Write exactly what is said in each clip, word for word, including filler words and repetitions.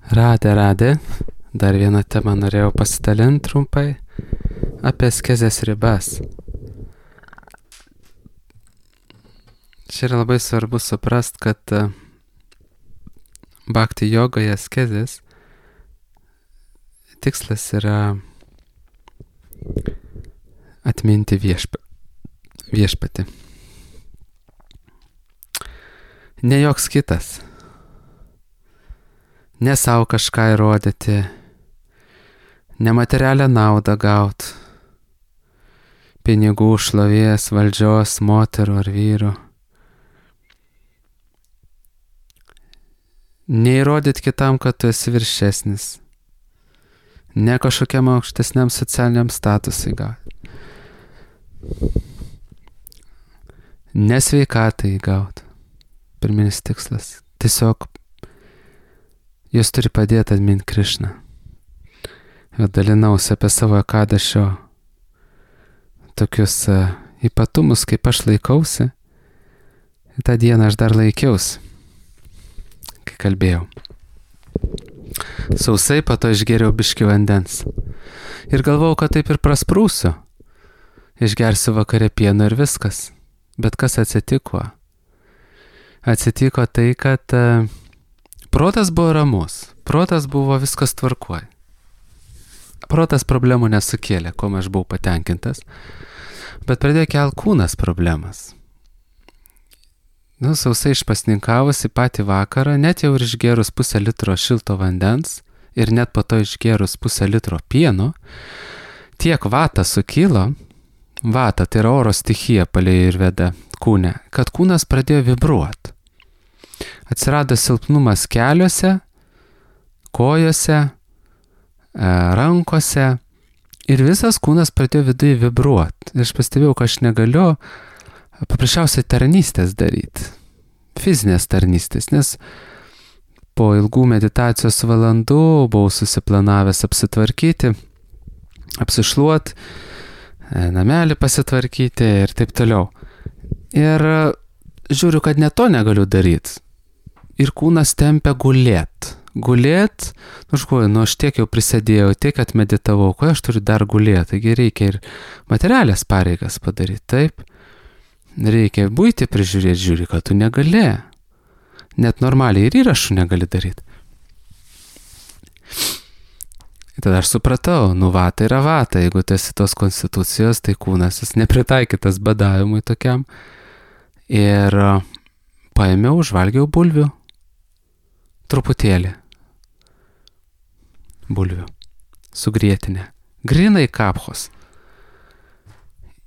Radė, radė. Dar vieną temą norėjau pasidalinti trumpai apie askezės ribas. Čia yra labai svarbu suprast, kad bhakti jogoje askezės tikslas yra atminti viešpa, viešpatį. Ne joks kitas. Ne savo kažką įrodyti, ne materialią naudą gaut, pinigų, šlovės, valdžios, moterų ar vyrų. Neįrodyti kitam, kad tu esi viršesnis, ne kažkokiam aukštesniam socialiniam statusui gauti, ne sveikatai gauti. Pirminis tikslas. Tiesiog jos turi padėti atminti Krišną. Ir dalinausi apie savo ekadašio tokius uh, ypatumus, kaip aš laikausi. Ir tą dieną aš dar laikiausi, kai kalbėjau. Sausai, po to išgėriau biškį vandens. Ir galvojau, kad taip ir prasprūsiu. Išgersiu vakare pieno ir viskas. Bet kas atsitiko? Atsitiko tai, kad uh, protas buvo ramus. Protas buvo viskas tvarkoj. Protas problemų nesukėlė, kuo aš buvau patenkintas. Bet pradėjo kelt kūnas problemas. Nu, sausai išpasninkavusi patį vakarą, net jau ir išgerus pusę litro šilto vandens ir net po to išgerus pusę litro pieno, tiek vata sukilo, vata tai yra oro stichija palei ir veda kūne, kad kūnas pradėjo vibruoti. Atsirado silpnumas keliuose, kojose, rankose ir visas kūnas pradėjo viduje vibruoti. Ir aš pastebėjau, kad aš negaliu paprasčiausiai tarnystės daryti, fizinės tarnystės, nes po ilgų meditacijos valandų buvau susiplanavęs apsitvarkyti, apsišluoti, namelį pasitvarkyti ir taip toliau. Ir žiūriu, kad ne to negaliu daryti. Ir kūnas tempia gulėt. Gulėt, nu škuoju, nu aš tiek jau prisėdėjau, tiek atmeditavau, ko aš turiu dar gulėti. Taigi reikia ir materialės pareigas padaryti, taip. Reikia buitį prižiūrėti, žiūri, kad tu negali. Net normaliai ir įrašų negali daryti. Ir tada aš supratau, nu vata yra vata, jeigu tu esi tos konstitucijos, tai kūnas jis nepritaikytas badavimui tokiam. Ir paėmiau, užvalgiau bulvių. Truputėlį. Bulvių. Su grietinė. Grinai kapchos.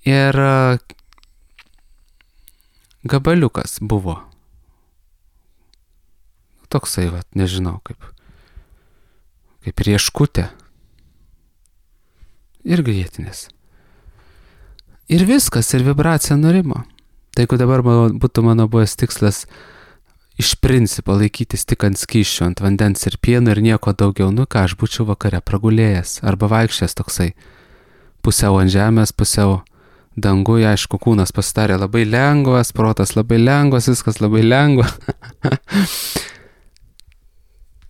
Ir gabaliukas buvo. Toksai, vat, nežinau, kaip, kaip rieškutė. Ir grietinės. Ir viskas, ir vibracija nurimo. Tai jeigu dabar būtų mano buvęs tikslas iš principo laikytis tik ant skysčio, ant vandens ir pieno ir nieko daugiau, nu ką, aš būčiau vakare pragulėjęs arba vaikščias toksai, pusiau ant žemės, pusiau danguje, aišku, kūnas pasidarė labai lengvas, protas labai lengvas, viskas labai lengva.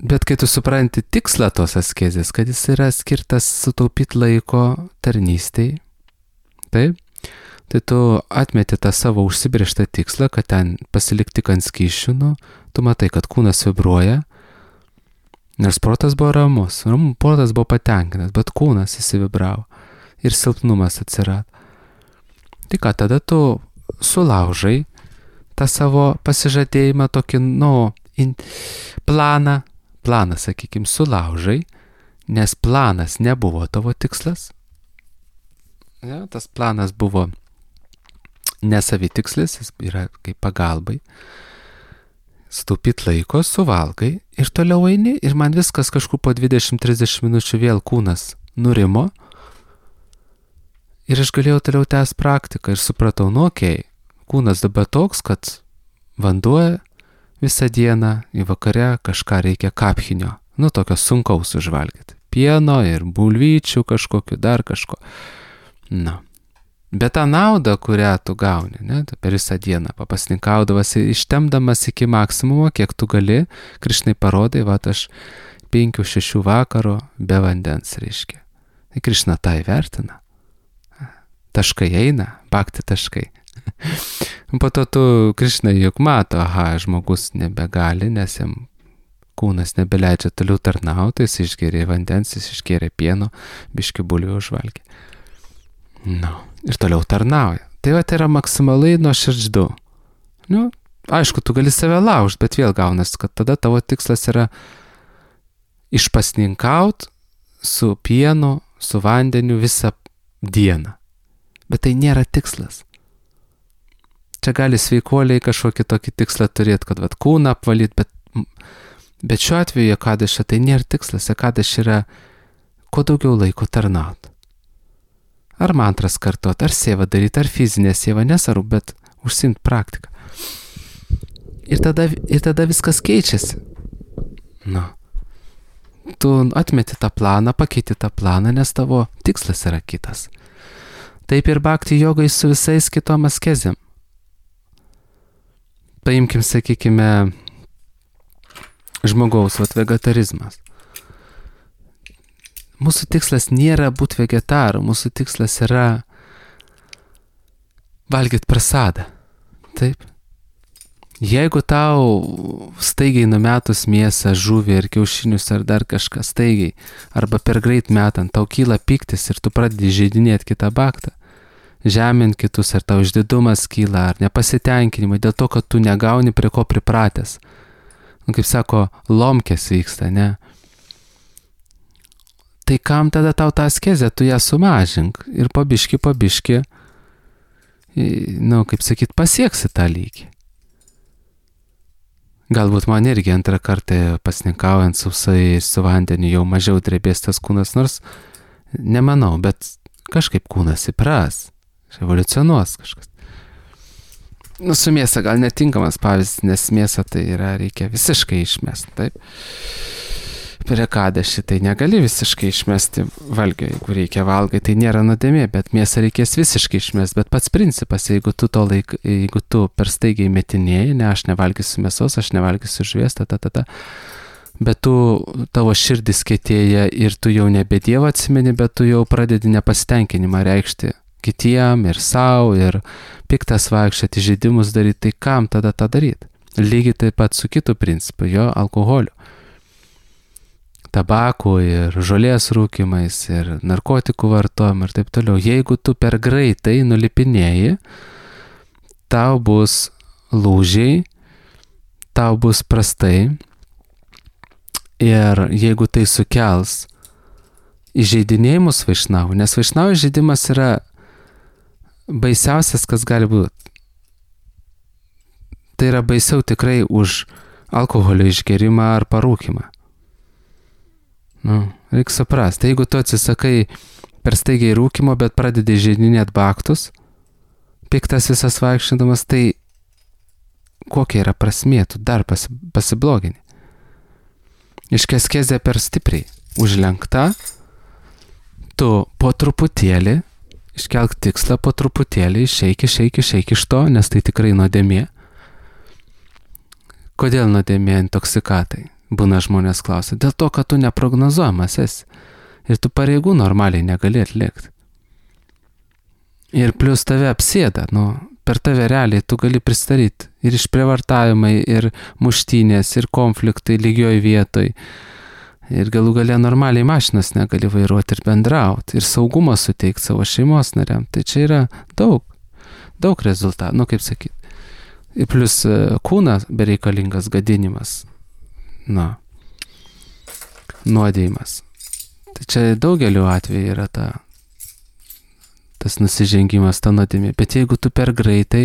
Bet kai tu supranti tikslą tos askezės, kad jis yra skirtas sutaupyti laiko tarnystei, taip, tai tu atmeti tą savo užsibrėžtą tikslą, kad ten pasilikti tik ant skysčių, nu, tu matai, kad kūnas vibruoja, nors protas buvo ramus, protas buvo patenkintas, bet kūnas įsivibravo ir silpnumas atsirado. Tai ką, tada tu sulaužai tą savo pasižadėjimą, tokį, nu, in, planą, planą, sakykime, sulaužai, nes planas nebuvo tavo tikslas. Ja, tas planas buvo nesavitikslis, jis yra kaip pagalbai. Sutaupyt laiko, suvalgai ir toliau eini ir man viskas kažkur po dvidešimt trisdešimt minučių vėl kūnas nurimo ir aš galėjau toliau tęsti praktiką ir supratau, nu okei, okay, kūnas dabar toks, kad vanduo visą dieną į vakare kažką reikia kapchinio, nu tokio sunkaus užvalgyti, pieno ir bulvyčių kažkokiu, dar kažko. Na. Bet tą naudą, kurią tu gauni, ne, per visą dieną papasninkaudavas, ištemdamas iki maksimumo, kiek tu gali, Krišnai parodai, va, aš penkių, šešių vakaro be vandens, reiškia. Tai Krišna tą įvertina. Taškai eina, bhakti taškai. Po to tu Krišna juk mato, aha, žmogus nebegali, nes jam kūnas nebeleidžia toliau tarnauti, jis išgėrė vandens, jis išgėrė pieno, biški bulvių užvalgė. Nu, ir toliau tarnauja. Tai va, tai yra maksimaliai nuoširdždu. Nu, aišku, tu gali save laužt, bet vėl gaunas, kad tada tavo tikslas yra išpasninkaut su pienu, su vandeniu visą dieną. Bet tai nėra tikslas. Čia gali sveikuoliai kažkokį tokį tikslą turėti, kad vat, kūną apvalyti, bet, bet šiuo atveju Ekadaši tai nėra tikslas. Ekadaši yra kuo daugiau laiko tarnaut. Ar mantras kartot, ar sėvą daryti, ar fizinę sėvą, nesvarbu, bet užsiimt praktiką. Ir tada, ir tada viskas keičiasi. Nu. Tu atmeti tą planą, pakeiti tą planą, nes tavo tikslas yra kitas. Taip ir bhakti jogai su visais kitom askezėm. Paimkim, sakykime, žmogaus, vat vegetarizmas. Mūsų tikslas nėra būti vegetaru, mūsų tikslas yra valgyti prasadą. Taip. Jeigu tau staigiai numetus mėsą, žuvį ir kiaušinius ar dar kažką staigiai, arba per greit metant, tau kyla piktis ir tu pradedi žeidinėti kitą bhaktą, žemint kitus, ar tau išdidumas kyla, ar nepasitenkinimai, dėl to, kad tu negauni prie ko pripratęs. Nu, kaip sako, lomkės vyksta, ne? Tai kam tada tau tą askezę, tu ją sumažink ir pabiški, pabiški, nu, kaip sakyt, pasieksi tą lygį. Galbūt man irgi antrą kartą pasninkaujant sausai su vandeniu jau mažiau drebės tas kūnas, nors nemanau, bet kažkaip kūnas įpras, evoliucionuos kažkas. Nu, su mėsa gal netinkamas pavyzdys, nes mėsą tai yra, reikia visiškai išmesti, taip? Per Ekadaši tai negali visiškai išmesti valgio, jeigu reikia valgai, tai nėra nuodėmė, bet mėsą reikės visiškai išmesti, bet pats principas, jeigu tu to laik, jeigu tu per staigiai metinėjai, ne, aš nevalgysiu mėsos, aš nevalgysiu žuvies, ta, ta, ta, ta, bet tu, tavo širdis kietėja ir tu jau nebe Dievą atsimeni, bet tu jau pradedi nepasitenkinimą reikšti kitiem ir savo, ir piktas vaikščioti, žaidimus daryti, tai kam tada tą daryti? Lygiai taip pat su kitu principu, jo alkoholiu. Tabakų ir žolės rūkimais ir narkotikų vartojimą ir taip toliau. Jeigu tu per greitai nulipinėji, tau bus lūžiai, tau bus prastai ir jeigu tai sukels įžeidinėjimus vaišnavų, nes vaišnavų įžeidimas yra baisiausias, kas gali būti. Tai yra baisiau tikrai už alkoholio išgerimą ar parūkimą. Nu, reikia suprasti, jeigu tu atsisakai per staigiai rūkimo, bet pradedi žeidinėti bhaktus, piktas visas vaikščiodamas, tai kokia yra prasmė, tu dar pasi, pasiblogini. Iškeskezė per stipriai, užlenkta, tu po truputėlį, iškelk tikslą po truputėlį, išeik, išeik, išeik iš to, nes tai tikrai nuodėmė. Kodėl nuodėmė intoksikatai? Būna žmonės klausia, dėl to, kad tu neprognozuojamas esi ir tu pareigų normaliai negali atlikti. Ir plus tave apsėda, nu, per tave realiai tu gali pristatyti ir išprievartavimai, ir muštynės, ir konfliktai lygioj vietoj. Ir galų gale normaliai mašinas negali vairuoti ir bendrauti, ir saugumą suteikti savo šeimos nariam. Tai čia yra daug, daug rezultatų, nu kaip sakyti. Ir plus kūnas bereikalingas gadinimas. Na, nuodėjimas. Tai čia daugeliu atveju yra ta, tas nusižengimas, ta nuodėmė. Bet jeigu tu per greitai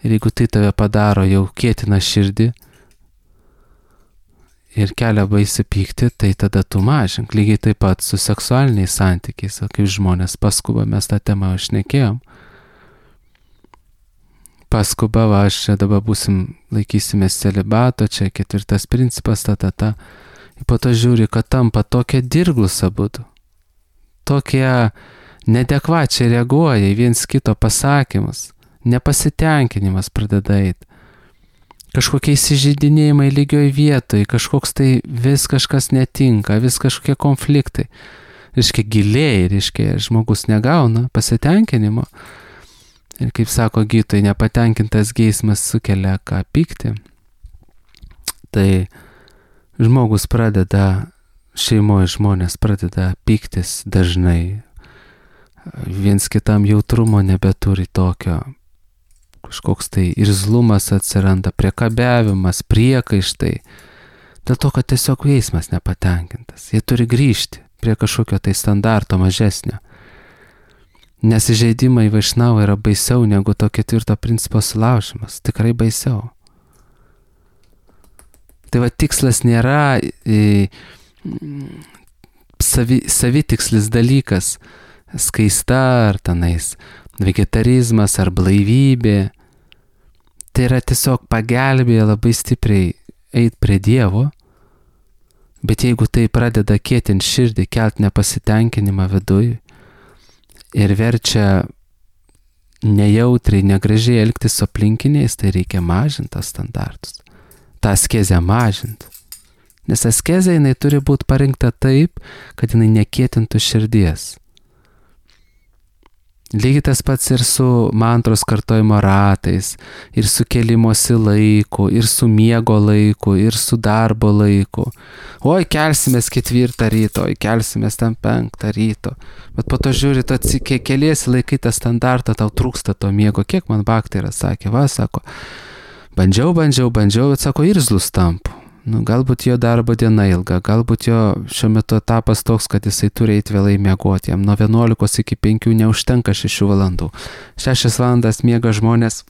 ir jeigu tai tave padaro jau kietina širdį ir kelia baisi pykti, tai tada tu mažink. Lygiai taip pat su seksualiniais santykiais, o kaip žmonės paskuba, mes tą temą šnekėjom. Paskuba, va, aš čia dabar būsim, laikysimės celibato, čia ketvirtas principas, ta, ta, ta. Ir po to žiūri, kad tampa tokia dirglus abudu. Tokie nedekvačiai reaguoja į viens kito pasakymus. Nepasitenkinimas pradeda eiti. kažkokie įsižeidinėjimai lygioj vietoj, kažkoks tai vis kažkas netinka, vis kažkokie konfliktai. Reiškia giliai, reiškia žmogus negauna pasitenkinimo. Ir kaip sako gydytojai, nepatenkintas geismas sukelia ką pykti. Tai žmogus pradeda, šeimoje žmonės pradeda pyktis dažnai. Viens kitam jautrumo nebeturi tokio. Kažkoks tai irzlumas atsiranda, priekabiavimas, priekaištai. Dėl to, kad tiesiog geismas nepatenkintas. Jie turi grįžti prie kažkokio tai standarto mažesnio. Nes įžeidimai vaišnavų yra baisiau negu to ketvirto principo sulaužimas. Tikrai baisiau. Tai va tikslas nėra e, savi, savitikslis dalykas, skaista ar tenais vegetarizmas ar blaivybė. Tai yra tiesiog pagelbėja labai stipriai eit prie Dievo, bet jeigu tai pradeda kietint širdį, kelt nepasitenkinimą viduj ir verčia nejautriai, negražiai elgtis su aplinkiniais, tai reikia mažinti tas standartus. Ta askezę mažinti. Nes askezė jinai turi būti parinkta taip, kad jinai nekietintų širdies. Lygiai tas pats ir su mantros kartojimo ratais, ir su kelimosi laiku, ir su miego laiku, ir su darbo laiku. Oi, kelsimės ketvirtą ryto, oi, kelsimės ten penktą ryto. Bet po to žiūri, tu keliesi laikai tą standartą, tau trūksta to miego. Kiek man baktai yra, sakė, va, sako, bandžiau, bandžiau, bandžiau, bet sako, irzlus tampu. Nu, galbūt jo darbo diena ilga, galbūt jo šiuo metu etapas toks, kad jisai turi eiti vėlai miegoti, jam nuo vienuolikos iki penkių neužtenka šešių valandų. Šešias valandas miega žmonės,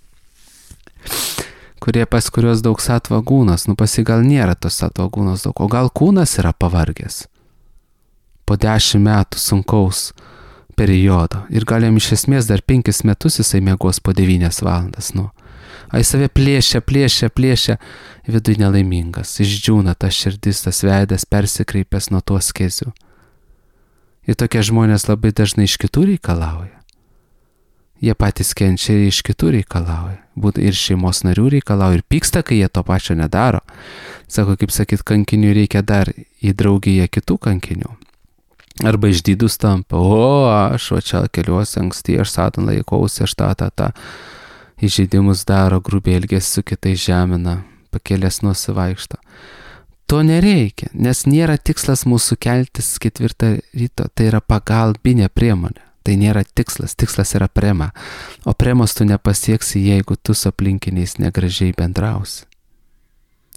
kurie pas kurios daug satvo gūnos, nu pas jį gal nėra tos satvo gūnos daug, o gal kūnas yra pavargęs po dešimt metų sunkaus periodo ir gal jam iš esmės dar penkis metus jisai miegos po devynias valandas, nu. Ai save plėšia, plėšia, plėšia, viduj nelaimingas, išdžiūna tas širdis, tas veidas persikreipęs nuo tuos askezių. Ir tokie žmonės labai dažnai iš kitų reikalauja. Jie patys kenčia ir iš kitų reikalauja. Būtų ir šeimos narių reikalauja, ir pyksta, kai jie to pačio nedaro. Sako, kaip sakyt, kankinių reikia dar į draugiją kitų kankinių. Arba išdidus tampa, o aš va čia keliuosi anksti, aš satan laikausi, aš tą, tą, tą. Įžeidimus daro, grubiai elgesi su kitais žemina, pakėlės nusivaikšto. To nereikia, nes nėra tikslas mūsų keltis ketvirtą ryto, tai yra pagalbinė priemonė. Tai nėra tikslas, tikslas yra prema. O premos tu nepasieksi, jeigu tu su aplinkiniais negražiai bendrausi.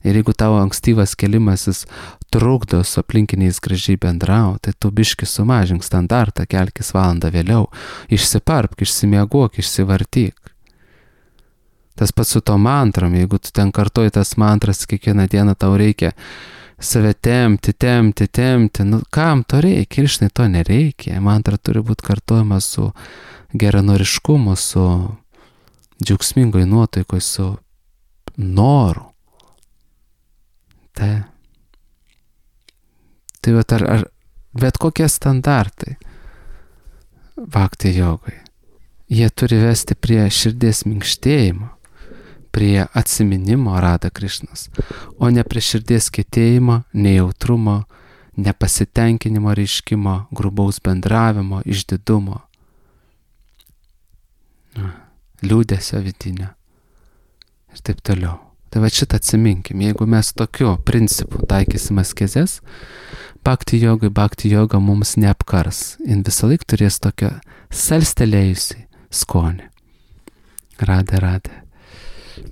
Ir jeigu tavo ankstyvas kelimasis trukdo su aplinkiniais gražiai bendrauti, tai tu biški sumažink standartą, kelkis valandą vėliau, išsiparpk, išsimiegok, išsivartyk. Tas pats su to mantrom, jeigu tu ten kartoji tas mantras, kiekvieną dieną tau reikia save tempti, tempti, tempti, nu kam to reikia, ir žinai to nereikia. Mantra turi būti kartojama su geranoriškumu, su džiaugsmingoj nuotaikoj, su noru. Tai, tai vat ar, ar bet kokie standartai bhakti jogai, jie turi vesti prie širdies minkštėjimo, prie atsiminimo Radha Krišnos, o ne prie širdies kietėjimo, nejautrumo, nepasitenkinimo reiškimo, grubaus bendravimo, išdidumo, liūdesio vidinio ir taip toliau. Tai va šitą atsiminkim, jeigu mes tokiu principu taikysim askezes, bhakti jogai, bhakti joga mums neapkars. Jin visą laik turės tokią salstelėjusi skonį. Radhe, radhe.